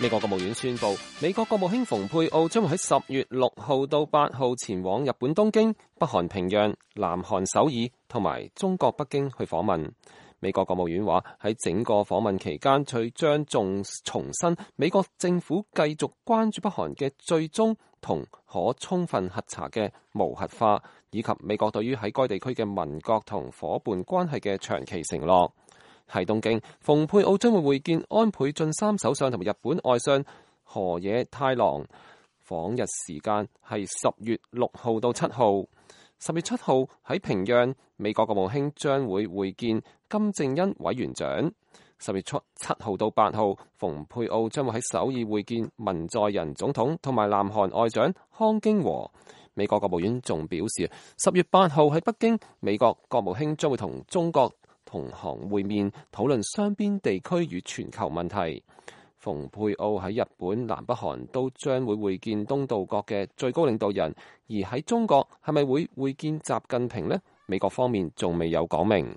美國國務院宣布，美國國務卿蓬佩奧將會喺10月6號到8號前往日本東京、北韓平壤、南韓首爾同埋中國北京去訪問。美國國務院話喺整個訪問期間，佢將重申美國政府繼續關注北韓嘅最終同可充分核查嘅無核化，以及美國對於喺該地區嘅盟國同夥伴關係嘅長期承諾。喺東京，蓬佩奧將會會見安倍晉三首相同埋日本外相河野太郎，訪日時間係10月6號到7號。10月7號喺平壤，美國國務卿將會會見金正恩委員長。10月7號到8號，蓬佩奧將會喺首爾會見文在寅總統同埋南韓外長康京和。美國國務院仲表示，10月8號喺北京，美國國務卿將會同中國同行會面，討論雙邊地區與全球問題。蓬佩奧喺日本、南北韓都將會會見東道國嘅最高領導人，而喺中國係咪會見習近平呢？美國方面仲未有講明。